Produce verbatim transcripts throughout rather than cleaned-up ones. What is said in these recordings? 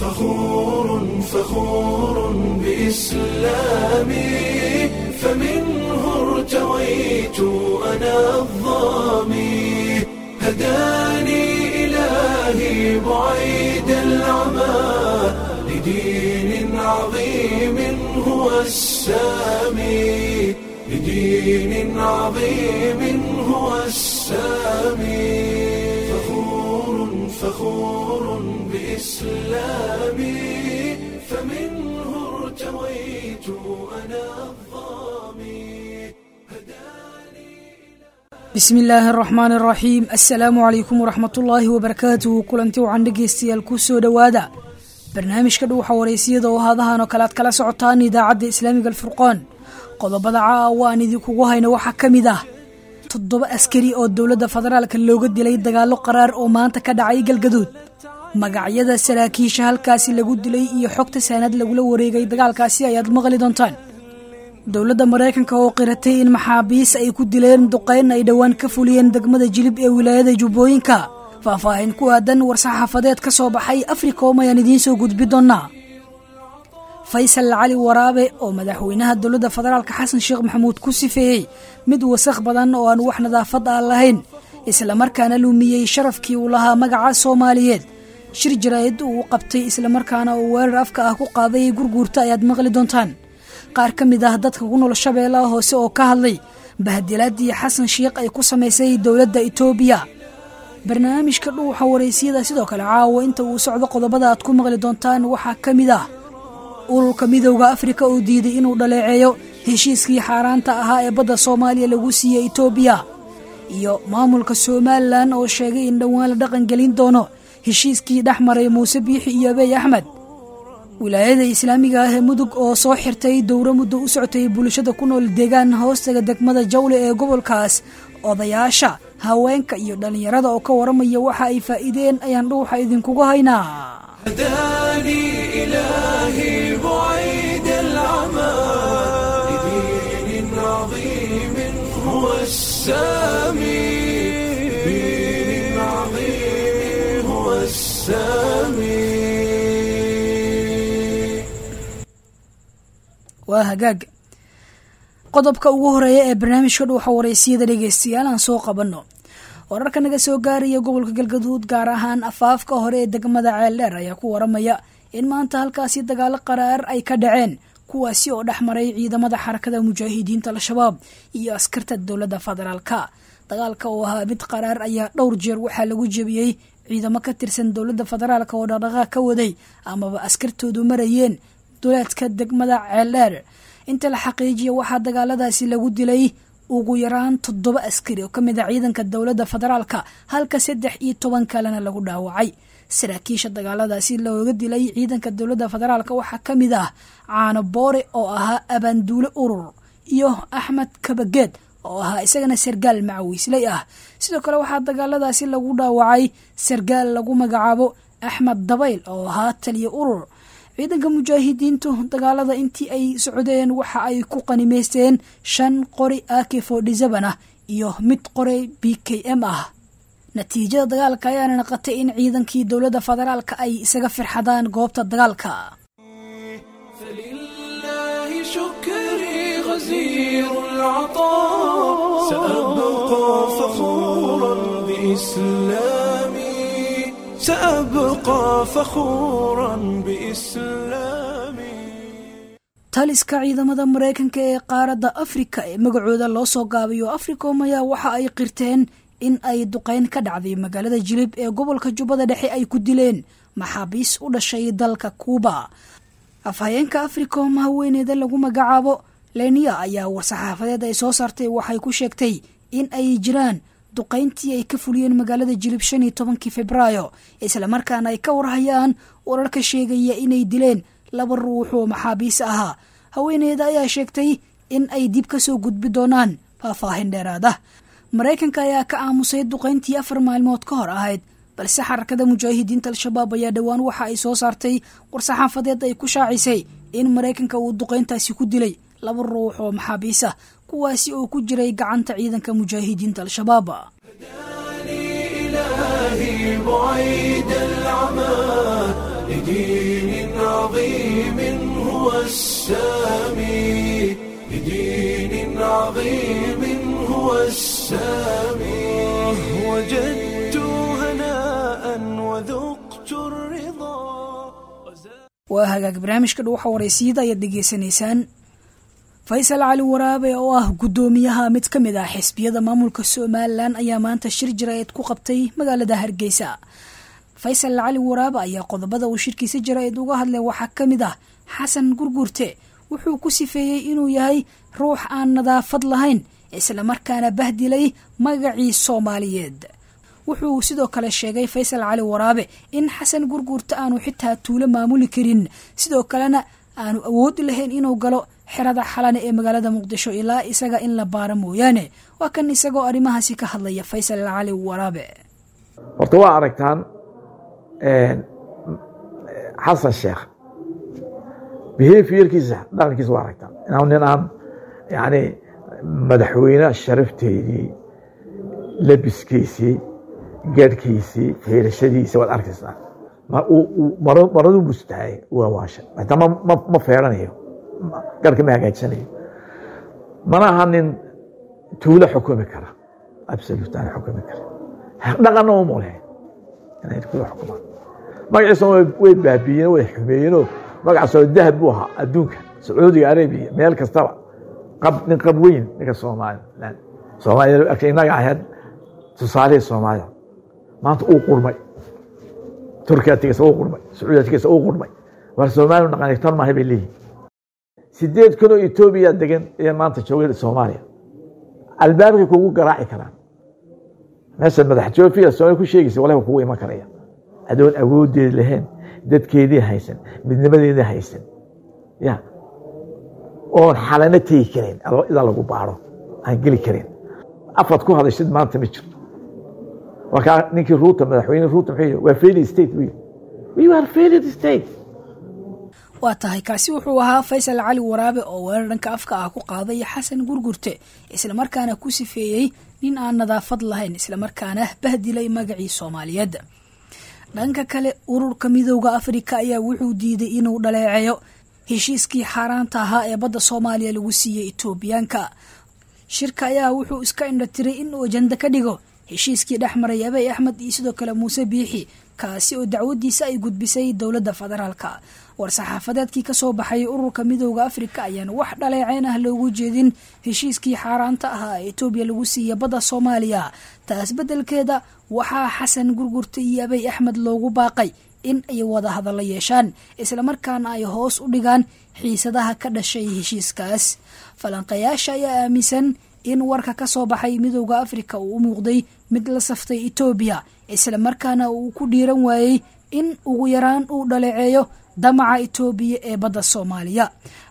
فخور فخور بإسلامي، فمنه ارتويت أنا الظامي، هداني إلهي بعيد العمى، لدين عظيم هو السامي، لدين عظيم هو السامي. فخور فخور بإسلامي، فمنه ارتويت أنا الظامي. بسم الله الرحمن الرحيم. السلام عليكم ورحمة الله وبركاته. Kulanti wacan dhegeystayaal, kusoo dhowaada barnaamijka dhuuxa wareysiyada oo haadahan oo kale aad kala socotaan idaacadda Islaamiga Alfurqaan. Qodobada caawa aan idinkugu hayno waxaa ka mid ah toddoba askari oo dowladda federaalka looga dilay dagaallo qaraar oo maanta ka dhacay Galgaduud. Magacyada saraakiisha halkaasi lagu dilay iyo xogta saanad lagula wareegay dagaalkaasi ayaad maqli doontaan. Dowladda Maraykanka oo qiratay in maxaabiis ay ku dileen duqeyn ay dhowaan ka fuliyeen degmada Jilib ee wilaayada Jubbooyinka. Faahfaahin ku aadan war-saxaafadeed ka soo baxay Africom ayaan idiin soo gudbi doonaa. Faysal Cali Waraabe oo madaxweynaha dowladda federaalka Xasan Sheekh Maxamuud ku sifeeyey mid wasakh badan oo aan wax nadaafad ah lahayn, islamarkaana lumiyey sharafkii uu lahaa magaca Soomaaliyeed. Shir jaraa'id uu qabtay islamarkaana uu weerar afka ah ku qaaday gurguurta ayaad maqli doontaan. Qaar ka mid ah dadka ku nool Shabeellaha Hoose oo ka hadlay bahdilaadii Xasan Sheekh ay ku samaysay dowladda Itoobiya. Barnaamijka dhuuxa wareysiyada sidoo kale caawa inta uu socdo qodobada aad ku maqli doontaan waxaa ka mid ah ururka Midowga Afrika oo diiday inuu dhaleeceeyo heshiiskii xaaraanta ahaa ee badda Soomaaliya lagu siiyey Itoobiya, iyo maamulka Somalilan oo sheegay in dhowaan la dhaqangelin doono heshiiskii dhex maray Muuse Biixi iyo Abiy Axmed. Wilaayada Islaamiga ah ee Mudug oo soo xirtay dowro muddo u socotay bulshada ku nool deegaan hoostaga degmada Jawle ee gobolkaas. Odayaasha, haweenka iyo dhalinyarada oo ka waramaya waxa ay faa'iideen ayaan dhuuxa idinkugu haynaa. هداني إلهي بعيد العمى، لدين عظيم هو السامي، لدين عظيم هو السامي. Waa hagaag. Qodobka ugu horeeya ee barnaamijka dhuuxa wareysiyada dhegeystayaal aan soo qabanno. Wararka naga soo gaaraya gobolka Galgaduud, gaar ahaan afaafka hore ee degmada Ceeldheer, ayaa ku waramaya in maanta halkaasi dagaalo qaraar ay ka dhaceen, kuwaasi oo dhex maray ciidamada Xarakada Mujaahidiinta Al-Shabaab iyo askarta dowladda federaalka. Dagaalka oo ahaa mid qaraar ayaa dhowr jeer waxaa lagu jebiyey ciidamo ka tirsan dowladda federaalka oo dhaqdhaqaaq ka waday amaba askartoodu marayeen duleedka degmada Ceeldheer. Inta la xaqiijiya waxaa dagaaladaasi lagu dilay ugu yaraan toddoba askari oo ka mid ah ciidanka dowladda federaalka, halka saddex iyo toban kalena lagu dhaawacay. Saraakiisha dagaaladaasi looga dilay ciidanka dowladda federaalka waxaa ka mid ah Caano Boore oo ahaa abaanduule urur, iyo Axmed Kabageed oo ahaa isagana sargaal macawiisley ah. Sidoo kale waxaa dagaaladaasi lagu dhaawacay sargaal lagu magacaabo Axmed Dabayl oo ahaa taliye urur. Ciidanka mujaahidiintu dagaalada intii ay socdeen waxa ay ku qanimaysteen shan qori A K forty seven ah iyo mid qori B K M ah. Natiijada dagaalka ayaana noqotay in ciidankii dowladda federaalka ay isaga firxadaan goobta dagaalka. فلله شكري غزير العطاء، سأبقى فخورا بإسلامي، سأبقى فخورا بإسلامي. Taliska ciidamada Mareykanka ee qaaradda Afrika ee magacooda loo soo gaabiyo Africom ayaa waxa ay qirteen in ay duqeyn ka dhacday magaalada Jilib ee gobolka Jubbada Dhexe ay ku dileen maxaabiis u dhashay dalka Kuuba. Afhayeenka Africom haweeneyda lagu magacaabo Lenia ayaa war-saxaafadeed ay soo saartay waxay ku sheegtay in ay jiraan duqeyntii ay ka fuliyeen magaalada Jilib shan iyo tobankii Febraayo, islamarkaana ay ka warhayaan wararka sheegaya inay dileen laba ruux oo maxaabiis ahaa. Haweeneyda ayaa sheegtay in ay dib ka soo gudbi doonaan faahfaahin dheeraad ah. Maraykanka ayaa ka aamusay duqeyntii afar maalmood ka hor ahayd, balse Xarakada Mujaahidiinta Al-Shabaab ayaa dhowaan waxa ay soo saartay war-saxaafadeed ay ku shaacisay in Maraykanka uu duqeyntaasi ku dilay laba ruux oo maxaabiis ah, kuwaasi oo ku jiray gacanta ciidanka mujaahidiinta Al-Shabaab. إلهي بعيد العمى، لدين عظيم هو السامي، لدين عظيم هو السامي. وجدت هناء وذقت الرضا. Waa hagaag, barnaamijka Dhuuxa Wareysiyada ayaad dhegeysanaysaan. Faysal Cali Waraabe oo ah guddoomiyaha mid ka mid ah xisbiyada maamulka Somalilan ayaa maanta shir jaraa'id ku qabtay magaalada Hargeysa. Faysal Cali Waraabe ayaa qodobada uu shirkiisa jaraa'id uga hadlay waxaa ka mid ah Xasan Gurgurte. Wuxuu ku sifeeyey inuu yahay ruux aan nadaafad lahayn, islamarkaana bahdilay magacii Soomaaliyeed. Wuxuu sidoo kale sheegay Faysal Cali Waraabe in Xasan Gurgurte aanu xitaa tuulo maamuli karin, sidoo kalena aanu awood lahayn inuu galo xerada Xalane ee magaalada Muqdisho ilaa isaga in la baaro mooyaane. Waa kan isagoo arrimahaasi ka hadlaya Faysal Cali Waraabe. Horta waa aragtaan Xasan Sheekh behaviorkiisa, dhaqankiisa waa aragtaan inaan nin aan yani madaxweyne sharafteedii, labiskiisii, gaadhkiisii, feerashadiisa waad arkaysaa. Maradu bustahay waa waasha, xitaa ma ma feeranayo, garhka ma hagaajisanayo, mana aha nin tuulo xukumi kara, absolute aan xukumi kara, dhaqanna uma leh inay tuulo xukumaan. Magaciisa way baabiiyeen, way xumeeyeenoo magacaasoo dahab buu ahaa adduunka, Sacuudiga Arabiya, meel kastaba qab nin qab weyn, ninka Soomaaliland Soomaaliya innaga ahayd tusaalihii Soomaalida, maanta uu qurmay. Turkiya tigasa uu qurmay, Sacuudiya tigasa uu qurmay. War Soomaaliya dhaqan tan maahay bay leeyihin. Sideed kun oo Etoobiya degan ee maanta jooga Soomaaliya albaabkay kugu garaaci karaan. Meesha madax joofiya Soomaaliya ku sheegaysa walahi kugu iman karaya adoon awoodeed lahayn, dadkeedii haysan, midnimadeedii haysan, ya oon Xalano tegi karin idaa lagu baaro aan geli karin, afaad ku hadashid maanta ma jirto. Markaa ninkii Ruuta, madaxweyne Ruuta, muxuu yidhi? Waa failed state buu yidhi. We are failed state. Waa tahay, kaasi wuxuu ahaa Faysal Cali Waraabe oo weerar dhanka afka ah ku qaaday Xasan Gurgurte, islamarkaana ku sifeeyey nin aan nadaafad lahayn, islamarkaana bahdilay magacii Soomaaliyeed. Dhanka kale, Ururka Midowda Afrika ayaa wuxuu diiday inuu dhaleeceeyo heshiiskii xaaraanta ahaa ee badda Soomaaliya lagu siiyey Itoobiyaanka. Shirka ayaa wuxuu iska indhatiray inuu ajanda ka dhigo heshiiskii dhex maray Abiy Axmed iyo sidoo kale Muuse Biixi, kaasi oo dacwadiisa ay gudbisay dowladda federaalka. War-saxaafadeedkii kasoo baxay Ururka Midowda Afrika ayaan wax dhaleeceyn ah loogu jeedin heshiiskii xaaraanta ahaa ee Etoobiya lagu siiyey badda Soomaaliya. Taas beddelkeeda waxaa Xasan Gurgurta iyo Abiy Axmed loogu baaqay in ay wada hadallo yeeshaan, islamarkaana ay hoos u dhigaan xiisadaha ka dhashay heshiiskaas. Falanqayaasha ayaa aaminsan in warka ka soo baxay Midowda Afrika uu u muuqday mid la saftay Etoobiya, islamarkaana uu ku dhiiran waayey in ugu yaraan uu dhaleeceeyo damaca Etoobiya ee badda Soomaaliya.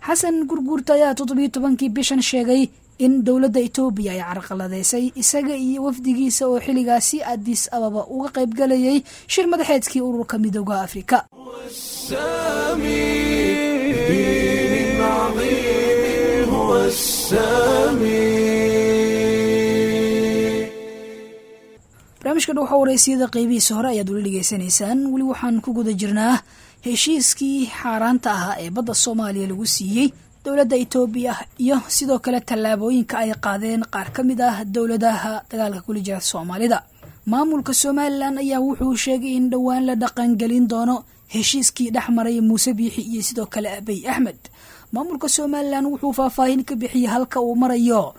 Xasan Gurguurta ayaa toddobiyo tobankii bishan sheegay in dowladda Etoobiya ay carqaladeysay isaga iyo wafdigiisa oo xilligaasi Addis Ababa uga qaybgalayay shir madaxeedkii Ururka Midowda Afrika. السامي، دين عظيم هو السامي. Barnaamijka Dhuuxa Wareysiyada qeybihiisa hore ayaad weli dhegeysanaysaan. Weli waxaan ku guda jirnaa heshiiskii xaaraanta ahaa ee badda Soomaaliya lagu siiyey dowladda Etoobiya iyo sidoo kale tallaabooyinka ay qaadeen qaar ka mid ah dowladaha dagaalka kula jira Soomaalida. Maamulka Somalilan ayaa wuxuu sheegay in dhowaan la dhaqangelin doono heshiiskii dhex maray Muuse Biixi iyo sidoo kale Abiy Axmed. Maamulka Somalilan wuxuu faahfaahin ka bixiyey halka uu marayo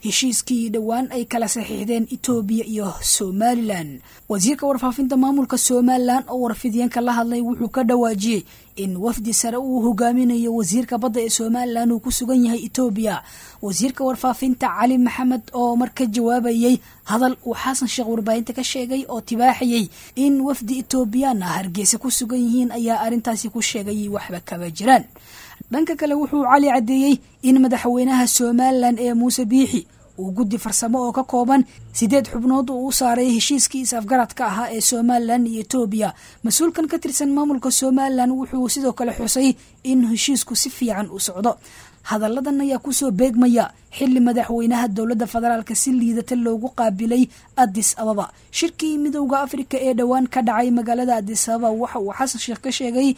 heshiiskii dhowaan ay kala saxiixdeen Etoobiya iyo Somalilan. Wasiirka warfaafinta maamulka Somalilan oo warfidyanka la hadlay wuxuu ka dhawaajiyey in wafdi sare uu hogaaminayo wasiirka badda ee Somalilan uu ku sugan yahay Etoobiya. Wasiirka warfaafinta Cali Maxamed oo marka jawaabayey hadal uu Xasan Sheekh warbaahinta ka sheegay oo tibaaxayey in wafdi Etoobiyaan ah Hargeysa ku sugan yihiin ayaa arrintaasi ku sheegay waxba kaba jiraan. Dhanka kale, wuxuu Cali caddeeyey in madaxweynaha Somalilan ee Muuse Biixi uu guddi farsamo oo ka kooban sideed xubnood uu u saaray heshiiskii is-afgaradka ahaa ee Somalilan iyo Etoobiya. Mas-uulkan ka tirsan maamulka Somalilan wuxuu sidoo kale xusay in heshiisku si fiican u socdo. Hadalladan ayaa kusoo beegmaya xilli madaxweynaha dowladda federaalka si liidata loogu qaabilay Addis Ababa. Shirkii Midowga Afrika ee dhowaan ka dhacay magaalada Addis Ababa waxa uu Xasan Sheekh ka sheegay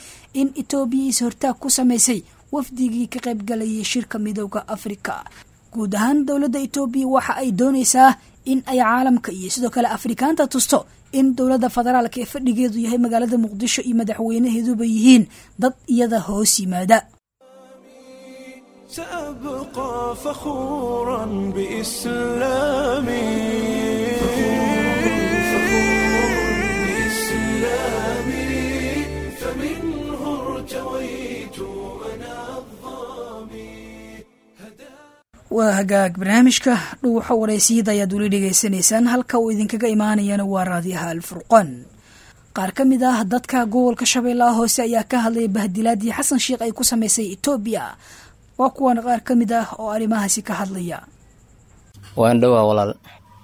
in Itoobiya is-hortaag ku samaysay wafdigii ka qaybgalayay shirka Midowga Afrika. Guud ahaan dowladda Itoobiya waxa ay doonaysaa in ay caalamka iyo sidoo kale Afrikaanta tusto in dowladda federaalka ee fadhigeedu yahay magaalada Muqdisho iyo madaxweynaheeduba yihiin dad iyada hoos yimaada. سأبقى فخورا بإسلامي بإسلامي فمنه ارتويت أنا الظامي. Waa hagaag, barnaamijka Dhuuxa Wareysiyada ayaad weli dhegaysanaysaan, halka uu idinkaga imaanayana waa Raadiyaha Alfurqaan. Qaar ka mid ah dadka gobolka Shabeellaha Hoose ayaa ka hadlaya bahdilaadii Xasan Sheekh ay ku samaysay Itoobiya. Waa kuwan qaar ka mid ah oo arrimahaasi ka hadlaya. Waan dhowaa walaal.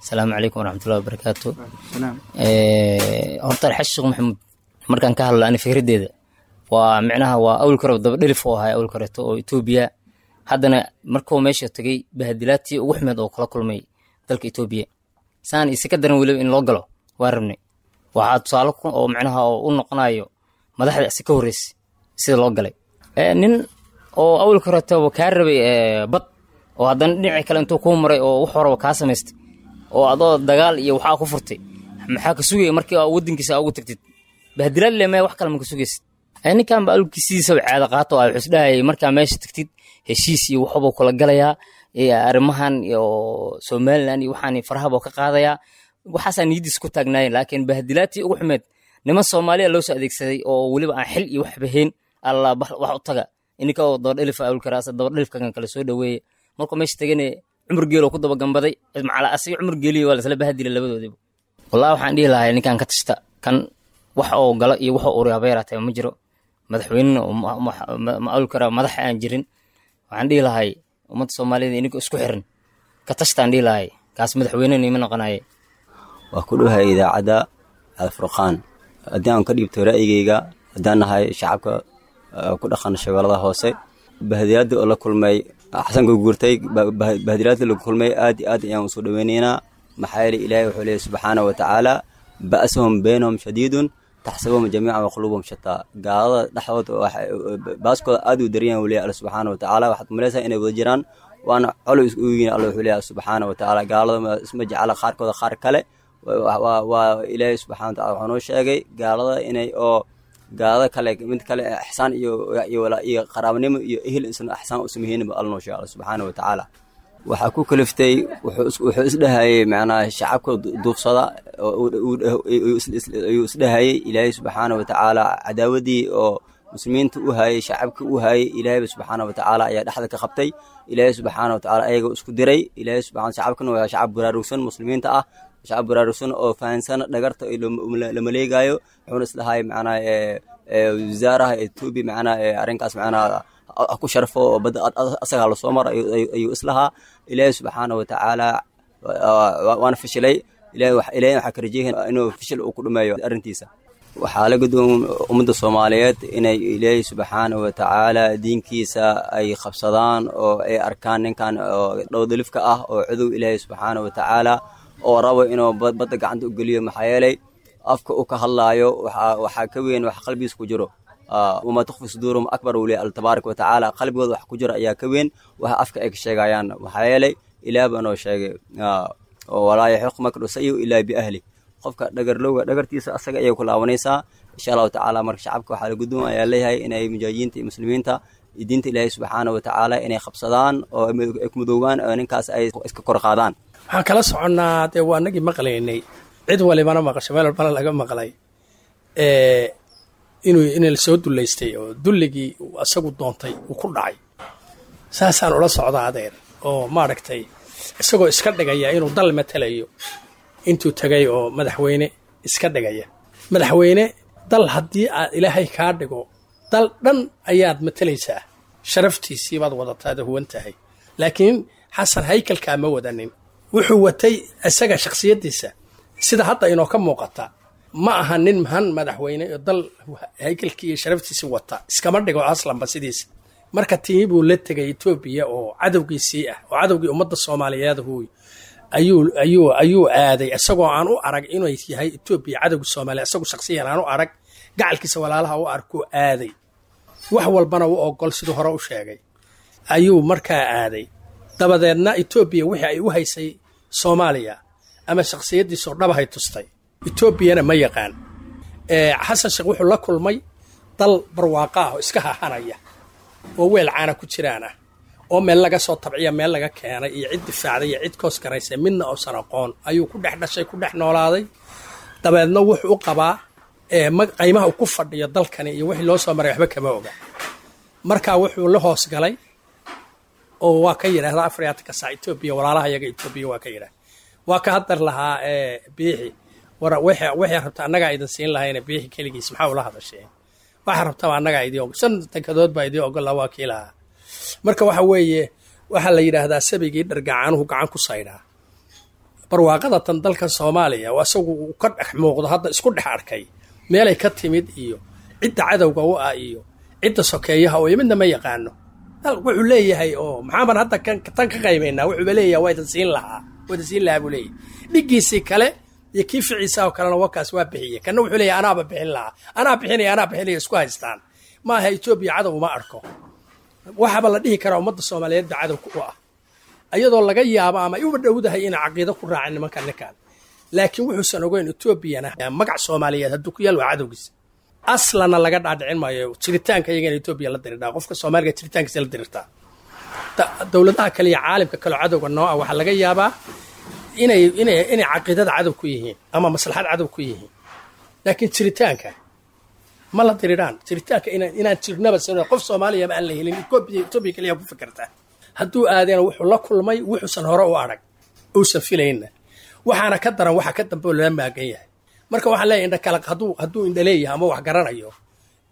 Asalaamu calaykum waraxmatullahi wabarakaatu. Horta Xasan Sheekh Maxamuud markaan ka hadlo ani fikraddeeda waa micnaha waa awalka hore daba dhelif oo ahay awalka horeeto oo Itoobiya, haddana markuu meesha tagay bahdilaadtii ugu xumeed oo kala kulmay dalka Itoobiya saan isi ka daran weliba in loo galo waa rabnay. Waxaa tusaale oo micnaha oo u noqonayo madaxda isi ka horreysay sida loo galay nin oo awalka horeetaba kaa rabay bad oo haddana dhinaci kale intuu kuu maray oo wax horeba kaa samaystay oo adoo dagaal iyo waxaa ku furtay, maxaa ka sugaya markii aa waddankiisa ugu tagtid? Bahdilaad le maya, wax kale ma ka sugaysid. Ninkan ba awalkiisiisaba caado qaato oo wuxuu isdhahayay markaa meesha tagtid heshiis iyo waxbuu kula galayaa, arrimahan iyo Somaliland iyo waxaan farahaba ka qaadayaa, waxaasaa niyadiisa ku taagnaayeen. Laakiin bahdilaadtii ugu xumeed niman Soomaaliya loo soo adeegsaday oo weliba aan xil iyo waxba hayn alla wax u taga ininka oo dabadhelif awlkaraasa dabadhelifkan kale soo dhaweeye. Markuu meesha tagane Cumar Geelo ku daba gambaday macala asiga Cumar Geeliyo waa lasla bahdilay labadoodiba. Wallahi waxaan dhihi lahay ninkan ka tashta, kan wax oo galo iyo wax oo uri haba yaraatee ma jiro, madaxweynena ma awli karaa madax aan jirin. Waxaan dhihi lahay ummadda Soomaalida ininka isku xiran ka tashtaan dhihi lahay, kaas madaxweynena ima noqonaye. Waa ku dhowahay idaacadda Alfurqaan. Haddii aan ka dhiibto ra'yigayga, haddaan nahay shacabka ku dhaqan Shabeellada Hoose, bahdilaadii oo la kulmay Xasan Gurgurtay, bahdilaadii la kulmay aad iyo aad ayaan usoo dhaweynaynaa. Maxaa yeelay Ilaahay wuxuu leeyahy subxaana wa tacaala ba'suhum baynahum shadiidun taxsabuhum jamiican wa quluubuhum shataa. Gaalada dhexdooda baaskooda aad u daran yahay leeyahay Alle subxaana wa tacaala, waxaad malaysaa inay wada jiraan waana colow isku yihiin. Alle wuxuu leeyahay subxaana wa tacaala gaalada isma jecla qaarkooda qaar kale. Waa Ilaahay subxaana wa tacaala wuxuu noo sheegay gaalada inay oo gaalada kale mid kale ixsaan iyo iyo iyo qaraabnimo iyo ehel insan ixsaan u sameeyeen ba Alla noo sheegay Alle subxaana wa tacaala. Waxaa ku kaliftay wuxuu isdhahayay macnaha shacabka duufsada ayuu isdhahayay. Ilaahay subxaana wa tacaala cadaawadii oo muslimiinta u hayay shacabka u hayay Ilaahayba subxaana wa tacaala ayaa dhexda ka qabtay. Ilaahay subxaana wa tacaala ayaga isku diray. Ilaahay subxaana shacabkana waa shacab baraarugsan muslimiinta ah, shacab baraarugsan oo fahansan dhagarta la maleegayo. Wuxuuna isdhahayay macnaha wasaaraha Etoobiya macnaha arrinkaas macnaha ku sharfo oo badda asagaa lasoo maro ayuu islahaa. Ilaahay subxaana wa tacaala waana fashilay. Ilaahay waxaa ka rajeeyahay inuu fashil uu ku dhameeyo arrintiisa. Waxaa la gudboon ummadda Soomaaliyeed inay Ilaahay subxaana wa tacaala diinkiisa ay qabsadaan oo ay arkaan ninkan oo dhowdalifka ah oo cadow Ilaahay subxaana wa tacaala oo rabo inuu badda gacanta u geliyo. Maxaa yeelay afka uu ka hadlaayo waxaa ka weyn wax qalbigiisa ku jiro. Wamaa tukhfi suduuruhum akbar uu leeyahay Alla tabaaraka wa tacaala, qalbigooda wax ku jira ayaa ka weyn waxa afka ay ka sheegayaan. Maxaa yeelay Ilaah baa noo sheegay walaa yaxiqu makru sayu ilaa biahli, qofka dhagarlowga dhagartiisa asaga ayay ku laabanaysaa insha Allahu tacaala. Marka shacabka waxaa la gudboon ayaa leeyahay inay mujaahidiinta iyo muslimiinta iyo diinta Ilaahay subxaana wa tacaala inay qabsadaan oo ay ku midoobaan oo ninkaas ay iska kor qaadaan. Waxaan kala soconnaa dee waa anagii maqlaynay, cid walibana maqasho, meel walbana laga maqlay inuu in la soo dullaystay oo dulligii uu asagu doontay uu ku dhacay. Saasaan ula socdaa adeer oo maaragtay isagoo iska dhigaya inuu dal matalayo intuu tagay oo madaxweyne iska dhigaya. Madaxweyne dal haddii aad Ilaahay kaa dhigo dal dhan ayaad matalaysaa, sharaftiisii baad wadataada huwan tahay. Laakiin Xasan haykalkaa ma wadanin, wuxuu watay isaga shakhsiyaddiisa sida hadda inoo ka muuqata. Ma aha nin han madaxweyne oo dal haykalkii iyo sharaftiisii wata, iskama dhigo aslanba sidiisa. Marka tii buu la tegay Etoobiya oo cadowgiisii ah, oo cadowgii ummadda Soomaaliyeed huuy ayuu ayuu ayuu aaday, isagoo aan u arag inuu yahay Etoobiya cadowga Soomaaliya, isagu shakhsiyan aan u arag, gacalkiisa walaalaha u arkuu aaday, wax walbana u ogol siduu hore u sheegay ayuu markaa aaday. Dabadeedna Etoobiya wixii ay u haysay Soomaaliya ama shakhsiyaddiisoo dhabahay tustay. Etoobiyana ma yaqaan. Xasan Sheekh wuxuu la kulmay dal barwaaqa ah oo iska hahanaya oo weel caana ku jiraan ah, oo meel laga soo tabciya, meel laga keenay iyo cid difaacday iyo cid koos garaysay midna uusan aqoon ayuu ku dhex dhashay, ku dhex noolaaday. Dabeedna wuxuu u qabaa qaymaha uu ku fadhiyo dalkani iyo wixii loo soo maray waxba kama oga. Markaa wuxuu la hoos galay oo waa ka yidhaahda afar iyo afartanka saac Etoobiya walaalaha yaga Etoobiya, waa ka yidhaah, waa ka hadar lahaa Biixi, war waxay rabta annagaa idin siin lahayna, Biixi keligiis maxaa ula hadasheen, waxa rabtaba annagaa idin ogol, shan tankadood baa idin ogola, waa kii lahaa. Marka waxa weeye waxaa la yidhaahdaa sabigii dhargacaanuhu gacan ku saydhaa. Barwaaqada tan dalka Soomaaliya oo asagu uu ka dhex muuqdo hadda isku dhex arkay meelay ka timid iyo cidda cadowga u ah iyo cidda sokeeyaha oo midna ma yaqaano. Wuxuu leeyahay oo maxaaban hadda tan ka qaymaynaa, wuxuuba leeyahay waa idin siin lahaa, waa idin siin lahaa buu leeyahay. Dhiggiisii kale iyo kii ficiisa oo kalena wakaas waa bixiyey, kanna wuxuu leeyahay anaaba bixin lahaa, anaa bixinaya, anaa bixinaya, isku haystaan. Maaha Etoobiya cadow uma arko, waxaaba la dhihi karaa ummadda Soomaaliyeed ba cadow u ah, iyadoo laga yaabo ama ay uba dhowdahay inay caqiido ku raacin nimanka ninkan. Laakiin wuxuusan ogeyn Etoobiyana magac Soomaaliyeed hadduu ku yaal waa cadowgiisa, aslana laga dhaadhicin maayo jiritaanka iyaga in Etoobiya la dirirtaa, qofka Soomaaliga jiritaankiisa la dirirtaa. Dowladaha kale iyo caalamka kale oo cadowga noo ah waxaa laga yaabaa inay inay inay caqiidada cadow ku yihiin ama maslaxad cadow ku yihiin, laakiin jiritaanka ma la diriraan. Jiritaanka inaan inaan jirnaba sano qof Soomaaliya ma aan la helin, Etoobiya Etoobiya kaliya ku fikirtaa. Hadduu aadena wuxuu la kulmay wuxuusan hore u arag uusan filayna, waxaana ka daran waxa ka dambe oo lala maagan yahay. Marka waxaan leeyahay indha kale hadduu hadduu indha leeyahay ama wax garanayo,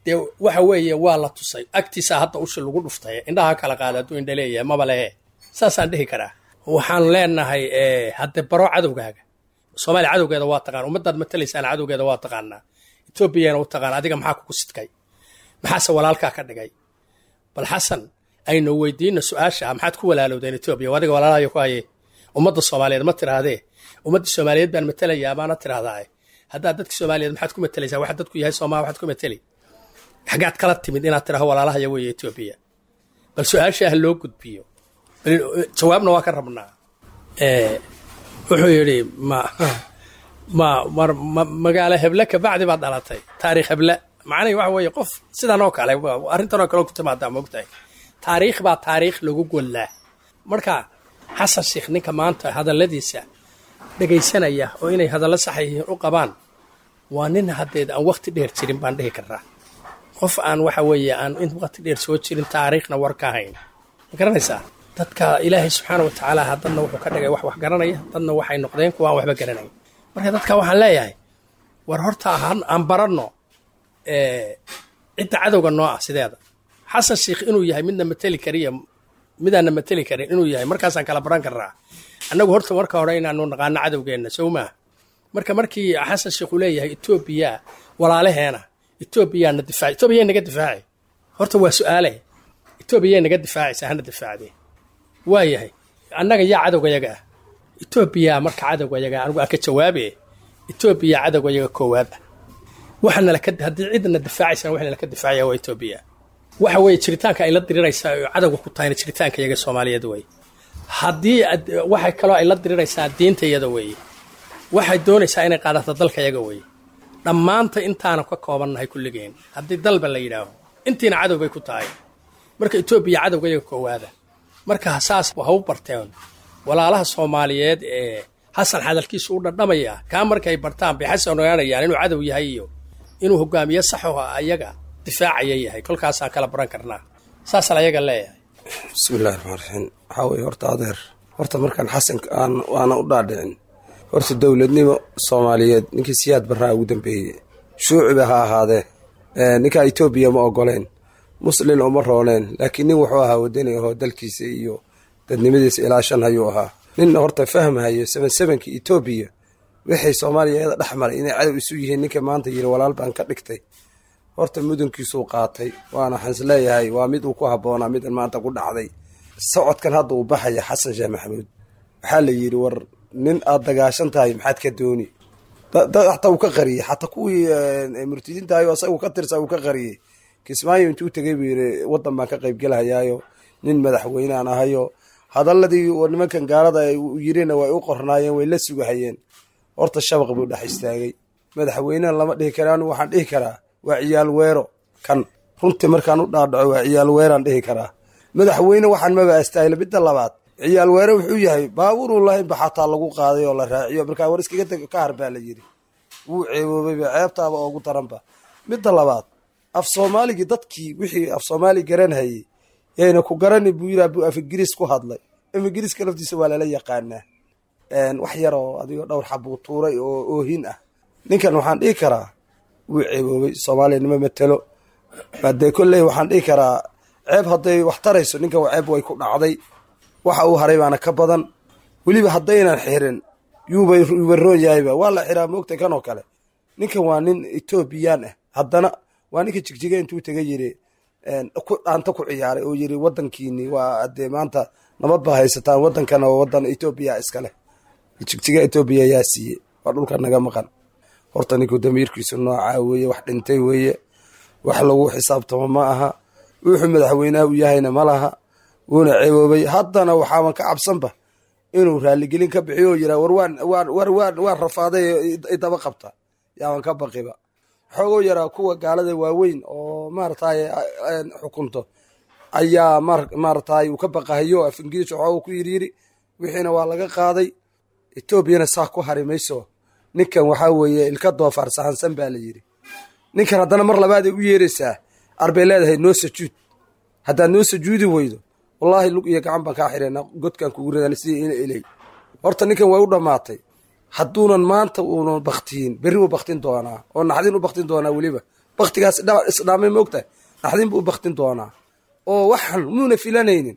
dee waxa weeye waa la tusay agtiisa hadda ushi lagu dhuftay, indhaha kala qaada hadduu indha leeyahay maba lehe, saasaan dhihi karaa. Waxaan leenahay hadde baro cadowgaaga. Soomaaliya cadowgeeda waa taqaan, ummaddaad matalaysaan cadowgeeda waa taqaanaa, Etoobiyana u taqaan. Adiga maxaa kugu sidkay, maxaase walaalkaa ka dhigay? Bal Xasan aynu weydiino su-aasha, maxaad ku walaalowdeen Etoobiya? Adiga walaalahayo ku haye ummadda Soomaaliyeed ma tiraahdee, ummadda Soomaaliyeed baan matalayaa baana tiraahdaa. Haddaad dadka Soomaaliyeed maxaad ku matalaysaa? Waxa dadku yahay Soomaa waxaad ku matali, xaggaad kala timid inaad tiraahdo walaalahaya weeye Etoobiya? Bal su-aasha ha loo gudbiyo, jawaabna waa ka rabnaa. Wuxuu yidhi ma ma mar magaalo heble kabacdi baad dhalatay, taariikh heble. Macnahi waxa weeye qof sidan oo kale arrintan oo kale ku timaadaa, moogtahay taariikh baa taariikh lagu gollaa. Marka Xasan Sheekh ninka maanta hadalladiisa dhegaysanaya oo inay hadallo sax yihiin u qabaan waa nin haddeed aan waqti dheer jirin baan dhihi karaa. Qof aan waxa weeye aan in waqti dheer soo jirin, taariikhna war ka hayn, ma garanaysaa? Dadka Ilaahay subxaana wa tacaala dadna wuxuu ka dhigay wax wax garanaya, dadna waxay noqdeen kuwa aan waxba garanayn. Marka dadka waxaan leeyahay war horta aan baranno cidda cadowga noo ah sideeda. Xasan Sheekh inuu yahay midna mateli kariya midaanna mateli karin inuu yahay markaasaan kala baran karnaa. Annagu horta marka hore inaanu naqaano cadowgeenna sow maaha. Marka markii Xasan Sheekh uu leeyahay Etoobiya walaalaheena, Etoobiyaana difaaci, Etoobiya naga difaaci, horta waa su-aale, Etoobiya naga difaacaysa hana difaacdee waa yahay annaga yaa cadowga yaga ah? Etoobiya marka cadowga yaga anigu aan ka jawaabe, Etoobiya cadowga yaga koowaad ah. Waxaana laka haddii cidna difaacaysana waxna laka difaacaya waa Etoobiya. Waxa weeye jiritaanka ay la diriraysaa oo cadowga ku tahayna jiritaanka yaga Soomaaliyeed wey. Haddii waxay kaloo ay la diriraysaa diinta iyada weeye, waxay doonaysaa inay qaadato dalka yaga weeye. Dhammaanta intaana ka koobannahay kulligeen haddii dalba la yidhaaho intiina cadow bay ku tahay. Marka Etoobiya cadowga yaga koowaada. Marka saas ha u barteen walaalaha Soomaaliyeed ee Xasan hadalkiisu u dhadhamaya, kaa markay bartaan bay Xasan ogaanayaan inuu cadow yahay iyo inuu hogaamiye saxo ayaga difaacaya yahay. Kolkaasaan kala baran karnaa, saasaan ayaga leeyahay. Bismillahi raxmaan raxiim. Waxaa weeye horta adeer, horta markaan Xasan aan waana u dhaadhicin horta dowladnimo Soomaaliyeed ninkii Siyaad Barraa ugu dambeeyey shuuciba ha ahaadee, ninkaa Etoobiya ma ogoleen, muslin uma rooneen, laakiin nin wuxuu ahaa wadani ahoo dalkiisa iyo dadnimadiisa ilaa shan hayuu ahaa. Nin horta fahmhayo seven sevenkii Etoobiya wixii Soomaaliya iyada dhex maray inay cadow isu yihiin, ninka maanta yiri walaal baan ka dhigtay. Horta mudankiisuu qaatay, waana waxaan is leeyahay waa mid uu ku habboonaa midan maanta ku dhacday. Socodkan hadda uu baxaya Xasan Sheekh Maxamuud, waxaa la yidhi, war nin aad dagaashan tahay maxaad ka dooni? Xataa uu ka qariyey, xataa kuwii murtidiintahayo asaga ka tirsa uu ka qariyey. Kismaayo intuu tegey buu yidhi waddan baan ka qaybgelahayaayo, nin madaxweynean ahayo. Hadaladii nimankan gaalada yirina way u qornaayeen, way la sugahayeen. Horta shabaq buu dhex istaagay. Madaxweynehan lama dhihi karaa, anu waxaan dhihi karaa waa ciyaal weero. Kan runtii markaan u dhaadhaco waa ciyaal weeraan dhihi karaa. Madaxweyne waxaan maba astaahila. Midda labaad, ciyaal weere wuxuu yahay baabuuruu lahaynba xataa lagu qaaday oo la raaciyo. Markaa war iskaga teg ka har baa la yidhi. Wuu ceeboobayba, ceebtaaba oogu daranba. Midda labaad, af soomaaligii dadkii wixii af soomaali garanhayey yayna ku garani buu yidhi, buu af ingiriis ku hadlay. Af ingiriiska laftiisa waa lala yaqaanaa. Wax yaroo adigoo dhowr xabuu tuuray oo oohin ah. Ninkan waxaan dhihi karaa wuu ceeboobay, soomaaliya nima matelo. Hadee kolley waxaan dhihi karaa ceeb hadday wax tarayso ninkan ceeb way ku dhacday. Waxa uu haray baana ka badan. Weliba haddaynan xirin yuuba yuuba roon yahayba, waa la xiraa moogtay kan oo kale. Ninkan waa nin Etoobiyaan ah, haddana waa ninka Jigjiga intuu taga yiri dhaanta ku ciyaaray oo yiri wadankiini waa hadee maanta nabad baa haysataan, wadankana waa wadan Etoobiya iska leh. Jigjiga Etoobiya yaa siiyey? Waa dhulka naga maqan. Horta ninku damiirkiisu noocaa weeye, wax dhintay weeye, wax lagu xisaabtamo ma aha. Wuxuu madaxweynaha u yahayna ma laha, wuuna ceeboobay. Haddana waxaaban ka cabsanba inuu raaligelin ka bixiyo oo yiraa war waan waan war waan waan rafaaday idaba qabta, yaaban ka baqiba. Xoogoo yaraa kuwa gaalada waaweyn oo maaragtay xukunto ayaa maaragtay uu ka baqahayo. Af ingiriis waxooga ku yiri yiri, wixiina waa laga qaaday. Etoobiyana saa ku hari mayso. Ninkan waxaa weeye ilka doofaar sahansan baa la yidhi. Ninkan haddana mar labaaday u yeeraysaa, arbay leedahay noo sajuud. Haddaad noo sajuudi weydo, wallaahi lug iyo gacan baan kaa xireenaa, godkaan kugu ridan sidii ina ilay. Horta ninkan way u dhammaatay. Hadduunan maanta uunan baktiyin, berri buu baktin doonaa oo naxdin u baktin doonaa. Weliba baktigaas isdhaamay moogtahay, naxdin buu u baktin doonaa oo waxan muuna filanaynin.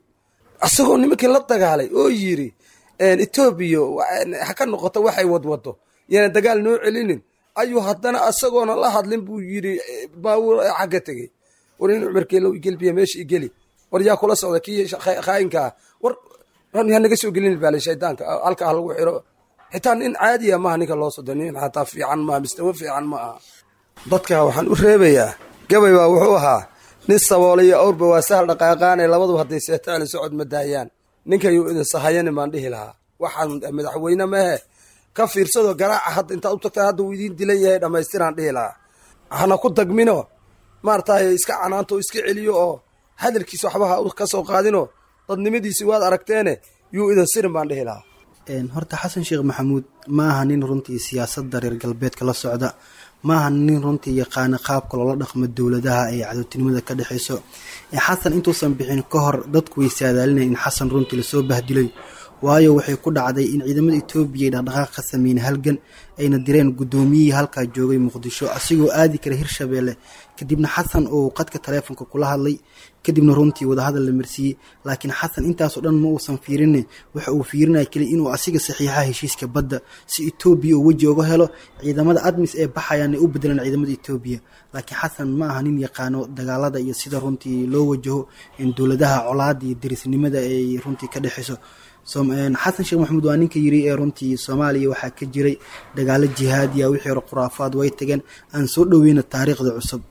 Asagoo nimankii la dagaalay oo yiri Etoobiya ha ka noqoto waxay wadwado, yaana dagaal noo celinin, ayuu haddana asagoona la hadlin buu yiri baabuur xagga tegey. War in Cumarkeelow igelbiya meesha igeli, war yaa kula socda kii khaayinka ah, war ha naga soo gelin baale, shaydaanka halka ha lagu xiro. Xitaa nin caadiya maaha ninka loo sodo, nin xataa fiican maaha, mistawo fiican ma aha. Dadka waxaan u reebayaa gabay baa wuxuu ahaa nin saboolay iyo awrba waa sahal dhaqaaqaanay, labaduba hadday seetaan socod ma daayaan. Ninkayuu idin sahayanin baan dhihi lahaa. Waxaan madaxweyne mehe ka fiirsado garaaca hadda intaad u tagtaan, hadda uu idiin dilan yahay dhammaystiraan dhihi lahaa. Hana ku dagmino, maaragtay iska canaanto, iska celiyo oo hadalkiisa waxba ha ka soo qaadino. Dadnimadiisi waad aragteene, yuu idin sirin baan dhihi lahaa. Horta Xasan Sheekh Maxamuud ma aha nin runtii siyaasadda reer galbeedka la socda, ma aha nin runtii yaqaana qaabka loola dhaqmo dowladaha ee cadowtinimada ka dhexeyso. Xasan intuusan bixin ka hor dadku way saadaalinaya in Xasan runtii lasoo bahdilay, waayo waxay ku dhacday in ciidamada Etoobiya ay dhaqdhaqaaq ka sameeyeen halgan, ayna direen guddoomiyihii halkaa joogay Muqdisho asigoo aadi kara Hirshabeelle. Kadibna Xasan oo qadka taleefonka kula hadlay, kadibna runtii wadahadal la marsiiyey. Laakiin Xasan intaasoo dhan ma uusan fiirine, waxa uu fiirinaya keliya inuu asiga saxiixa heshiiska badda si Etoobiya uu weji uga helo, ciidamada ADMIS ee baxayaan ay u bedelaan ciidamada Etoobiya. Laakiin Xasan ma aha nin yaqaano dagaalada iyo sida runtii loo wajaho in dowladaha colaada iyo derisnimada ay runtii ka dhexeyso. Xasan Sheekh Maxamuud waa ninka yiri ee runtii Soomaaliya waxaa ka jiray dagaalo jihaadiya, wixii hore khuraafaad way tageen, aan soo dhoweyna taariikhda cusub.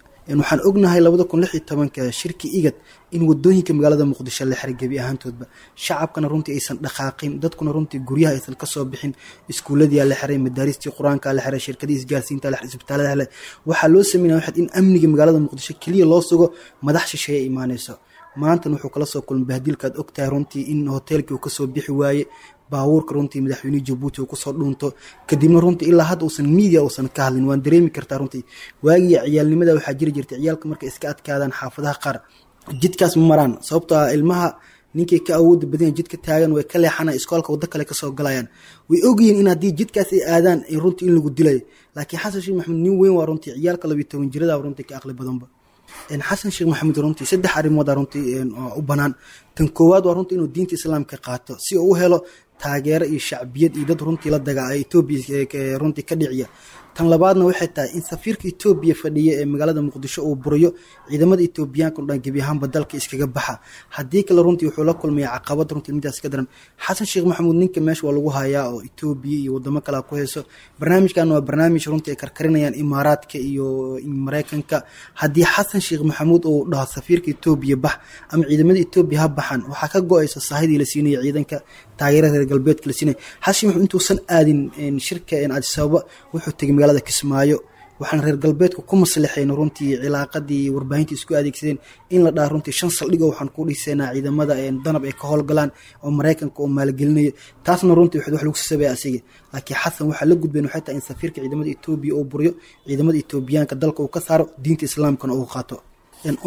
Waxaan ognahay labada kun lix iyo tobanka shirki IGAD in wadooyinka magaalada Muqdisho la xiray gebi ahaantoodba, shacabkana runtii aysan dhaqaaqin, dadkuna runtii guryaha aysan kasoo bixin. Iskuuladiyaa la xiray, madaaristii qur-aanka la xiray, shirkadii isgaarsiinta la xiray, isbitaalada la xiray. Waxaa loo sameynaya waxaad in amniga magaalada Muqdisho keliya loo sugo, madax shisheeye imaanayso. Maantan wuxuu kala soo kulmay bahdilkaad ogtahay runtii in hoteelkii uu kasoo bixi waaye, baabuurka runtii madaxweynihii Jabuuti uu kusoo dhuunto, kadibna runtii ilaa hadda uusan media uusan ka hadlin. Waan dareemi kartaa runtii waagii ciyaalnimada waxaa jiri jirtay ciyaalka markay iska adkaadaan xaafadaha qaar jidkaas ma maraan, sababtoo ah ilmaha ninkay ka awooda badan jidka taagan way ka leexanaan, iskoolka waddo kale kasoo galayaan. Way ogyihiin in haddii jidkaas ay aadaan runtii in lagu dilayo. Laakiin Xasan Sheekh Maxamuud nin weyn waa runtii, ciyaalka labiyo toban jirada runtii ka aqli badanba. Xasan Sheekh Maxamuud runtii saddex arrimood runtii u banaan. Tan koowaad waa runtii inuu diinta islaamka qaato si uu u helo Taageero iyo shacbiyad iyo dad runtii la dagaa Etoobiya runtii ka dhiciya. Tan labaadna waxay tahay in safiirka Etoobiya fadhiya ee magaalada Muqdisho uu buriyo ciidamada Etoobiyaanka oo dhan gebi ahaanba dalka iskaga baxa. Haddii kale runtii wuxuu la kulmaya caqabad runtii midaas ka daran. Xasan Sheekh Maxamuud ninka meesha waa lagu hayaa oo Etoobiya iyo wadamo kale ku hayso. Barnaamijkan waa barnaamij runtii ay karkarinayaan Imaaraadka iyo Mareykanka. Haddii Xasan Sheekh Maxamuud uu dhaho safiirka Etoobiya bax ama ciidamada Etoobiya ha baxaan, waxaa ka go-aysa sahidii la siinaya ciidanka, taageerada reer galbeedka la siinaya. Xasan Sheekh Maxamuud intuusan aadin shirka Addis Ababa wuxuu tegay magaalada Kismaayo, waxaan reer galbeedku ku maslaxeen runtii cilaaqadii warbaahinta isku adeegsadeen in la dhaha runtii shan saldhig oo waxaan ku dhisaynaa ciidamada danab ay ka howlgalaan oo Mareykanka oo maalgelinayo. Taasna runtii waxaad wax lagu sasabaya asiga. Laakiin Xasan waxaa la gudbeen waxay tahay in safiirka ciidamada Etoobiya uu buriyo, ciidamada Etoobiyaanka dalka uu ka saaro, diinta islaamkana uu qaato.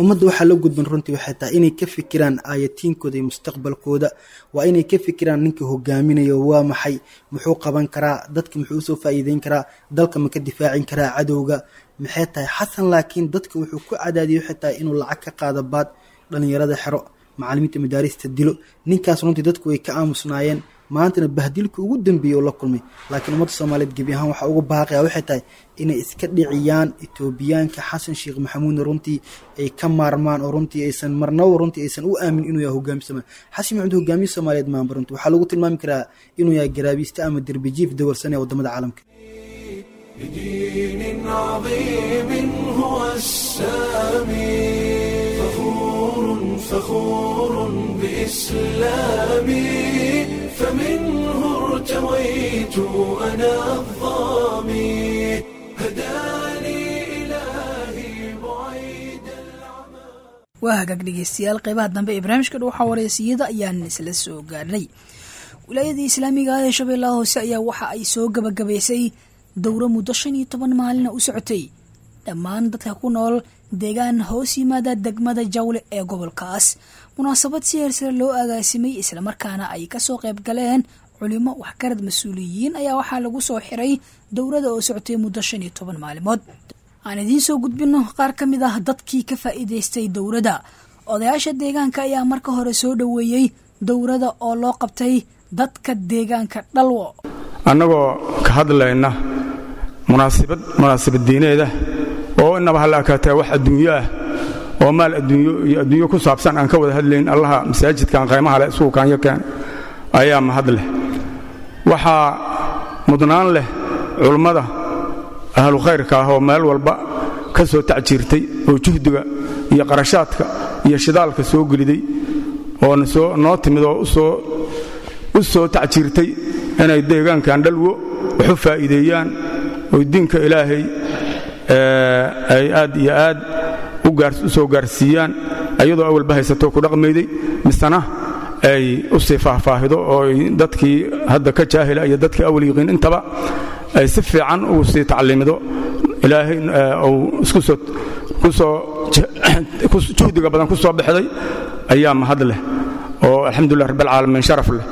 Ummadda waxaa la gudban runtii waxay tahay inay ka fikiraan aayatiinkooda iyo mustaqbalkooda. Waa inay ka fikiraan ninka hogaaminayo waa maxay, muxuu qaban karaa dadka, muxuu usoo faa'iideyn karaa dalka, ma ka difaacin karaa cadowga, maxay tahay Xasan. Laakiin dadka wuxuu ku cadaadiyey waxay tahay inuu lacag ka qaado baad, dhalinyarada xero, macallimiinta madaarista dilo. Ninkaas runtii dadku way ka aamusnaayeen, maantana bahdilka ugu dambeeyey oo la kulmay. Laakiin ummadda Soomaaliyeed gebi ahaan waxaa ugu baaqaya waxay tahay inay iska dhiciyaan Etoobiyaanka, Xasan Sheekh Maxamuudna runtii ay ka maarmaan oo runtii aysan marnaba runtii aysan u aamin inuu yahay hogaamiye Soomaaliyeed. Xasan Maxamuud hogaamiye Soomaaliyeed maanba runtii waxaa lagu tilmaami karaa inuu yahay garaabiiste ama derbijiif dawalsan ee waddamada caalamka. بدين عظيم هو السامي، فخور فخور بإسلامي، فمنه ارتويت أنا الظامي، هداني إلهي بعيد العمى. Waa hagaag dhegeystayaal, qeybaha dambe ee barnaamijka Dhuuxa Wareysiyada ayaan isla soo gaarnay. Wilaayadii islaamiga ah ee Shabeellaha Hoose ayaa waxa ay soo gabagabaysay dowro muddo shan iyo toban maalina u socotay dhammaan dadka ku nool deegaan hoos yimaada degmada Jawle ee gobolkaas. Munaasabad si heersare loo agaasimay islamarkaana ay kasoo qayb galeen culimo, waxgarad, mas-uuliyiin ayaa waxaa lagu soo xiray dowrada oo socotay muddo shan iyo toban maalimood. Aan idiin soo gudbino qaar ka mid ah dadkii ka faa'iidaystay dowradda. Odayaasha deegaanka ayaa marka hore soo dhoweeyey dowrada oo loo qabtay dadka deegaanka Dhalwo. Annagoo ka hadlayna munaasibad munaasabad diineeda oo inaba halla akaataa wax adduunyo ah oo maal adduunyo iyo adduunyo ku saabsan aan ka wada hadlayn, Allaha masaajidkan qaymaha leh isugu kaanyo keen ayaa mahad leh. Waxaa mudnaan leh culummada ahlu khayrka ah oo meel walba ka soo tacjiirtay oo juhdiga iyo qarashaadka iyo shidaalka soo geliday oo soo noo timid oo usoo u soo tacjiirtay inay deegaankan Dhalwo wax u faa'iideeyaan oo diinka Ilaahay ay aad iyo aad u soo gaarsiiyaan, ayadoo awalba haysato ku dhaqmayday misena ay u sii faahfaahido oo dadkii hadda ka jaahila iyo dadkii awal yiqiin intaba ay si fiican ugu sii tacliimido. Ilaahay uu isku soo ku soo juhdiga badan ku soo bixday ayaa mahad leh oo alxamdulilah rabbil caalamiin sharaf leh,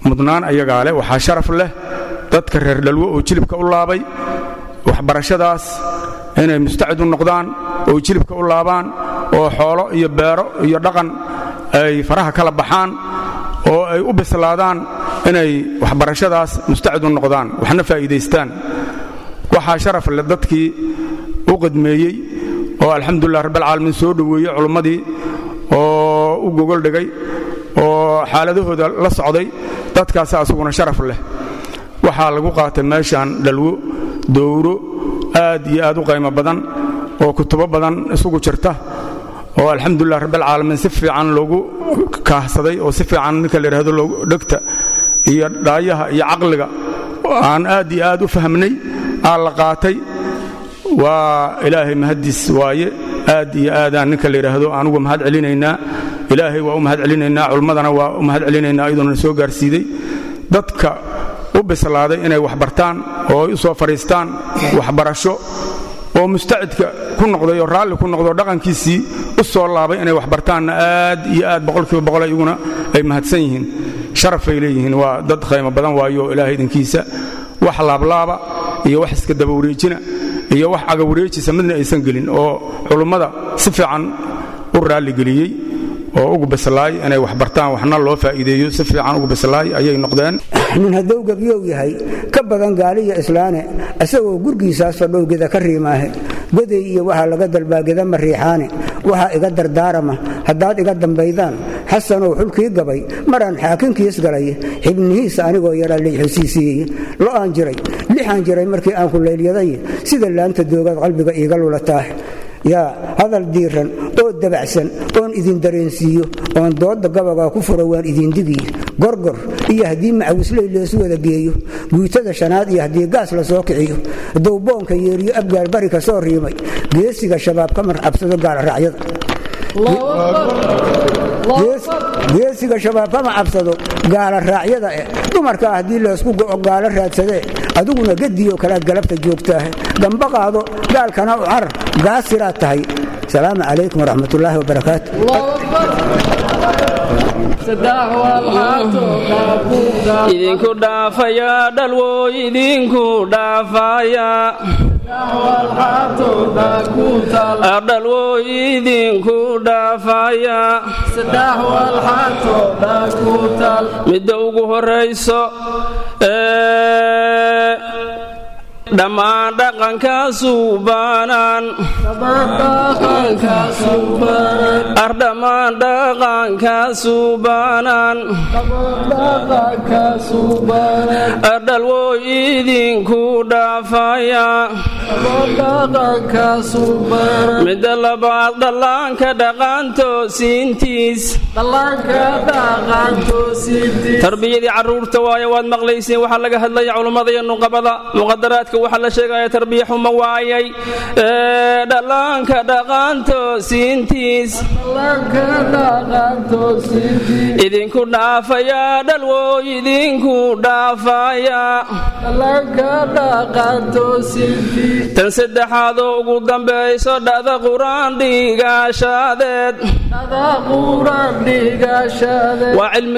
mudnaan ayagaa leh. Waxaa sharaf leh dadka reer Dhalwo oo jilibka u laabay waxbarashadaas inay mustacid u noqdaan oo jilibka u laabaan oo xoolo iyo beero iyo dhaqan ay faraha kala baxaan oo ay u bislaadaan inay waxbarashadaas mustacid u noqdaan waxna faa'iidaystaan. Waxaa sharaf leh dadkii u qadmeeyey oo alxamdulilah rabbil caalamiin soo dhoweeyey culummadii oo u gogol dhigay oo xaaladahooda la socday, dadkaas asuguna sharaf leh. Waxaa lagu qaatay meeshaan Dhalwo dowro aad iyo aad u qaymo badan oo kutubo badan isugu jirta oo alxamdulilah rabbil caalamiin si fiican loogu kaahsaday oo si fiican ninka la yidhaahdo loogu dhegta iyo dhaayaha iyo caqliga aan aad iyo aad u fahmnay aa la qaatay. Waa Ilaahay mahaddiis waaye. Aad iyo aadaan ninka la yidhaahdo anugu mahad celinaynaa, Ilaahay waa u mahad celinaynaa, culimmadana waa u mahad celinaynaa iyadoona soo gaarsiiday dadka u bislaaday inay wax bartaan oo ay u soo fadhiistaan waxbarasho oo mustacidka ku noqday oo raalli ku noqday oo dhaqankiisii u soo laabay inay wax bartaanna aad iyo aad boqolkiiba boqol iyaguna ay mahadsan yihiin, sharafay leeyihiin. Waa dad qiimo badan waayo Ilaahay idinkiisa wax laablaaba iyo wax iska daba wareejina iyo wax caga wareejisa midna aysan gelin oo culummada si fiican u raalligeliyey oo ugu bislaay inay wax bartaan, waxna loo faa'iideeyo si fiican ugu bislaay ayay noqdeen. Nin hadduu gebyow yahay ka badan gaaliya islaane, isagoo gurgiisaas fadhowgeda ka riimaahe, goday iyo waxaa laga dalbaa geda ma riixaane. Waxaa iga dardaarama haddaad iga dambaydaan, Xasanow xulkii gabay maraan xaakinkiis galay, xibnihiisa anigoo yaraa layxusiisiiyey. Lo'aan jiray, lixaan jiray markii aan ku laylyaday, sida laanta doogaad qalbiga iiga lulataah. Yaa hadal diiran oo dabacsan oon idin dareensiiyo oon dooda gabagaa ku furo, waan idin digiy. Gorgor iyo haddii macawisley leesu wada geeyo, guutada shanaad iyo haddii gaas la soo kiciyo, dowboonka yeeriyo abgaal bari ka soo riimay, geesiga Shabaab ka marcabsado gaalraacyada, geesiga Shabaab kama cabsado gaala raacyada. Eh, dumarkaa haddii laysku go'o gaalo raadsadee, adiguna gediyo kalaad galabta joogtaah, gamba qaado gaalkana u carar, gaasiraad tahay. Salaamu calaykum waraxmatullaahi wabarakaatu. Idinku dhaafaya dhalwooy, idinku dhaafaya dhalwooy, idinku dhaafaya. Midda ugu horayso, dhammaan dhaqankaasu baanaan, ardhammaan dhaqankaasu baanaan, ardhalwooy idinku dhaafaya. Midda labaad, dhallaanka dhaqaantoosiintiis, tarbiyadii caruurta waaye. Waad maqlayseen waxaa laga hadlaya culummada iyo nuqabada muqadaraadka, waxaa la sheegaya tarbiya xumo waayay. Dhallaanka dhaqaantoosiintiis idinku dhaafaya dhalwooy, idinku dhaafaya. Tan saddexaadoo ugu dambayso, dhada qur-aan dhigaashaadeed waa cilmi.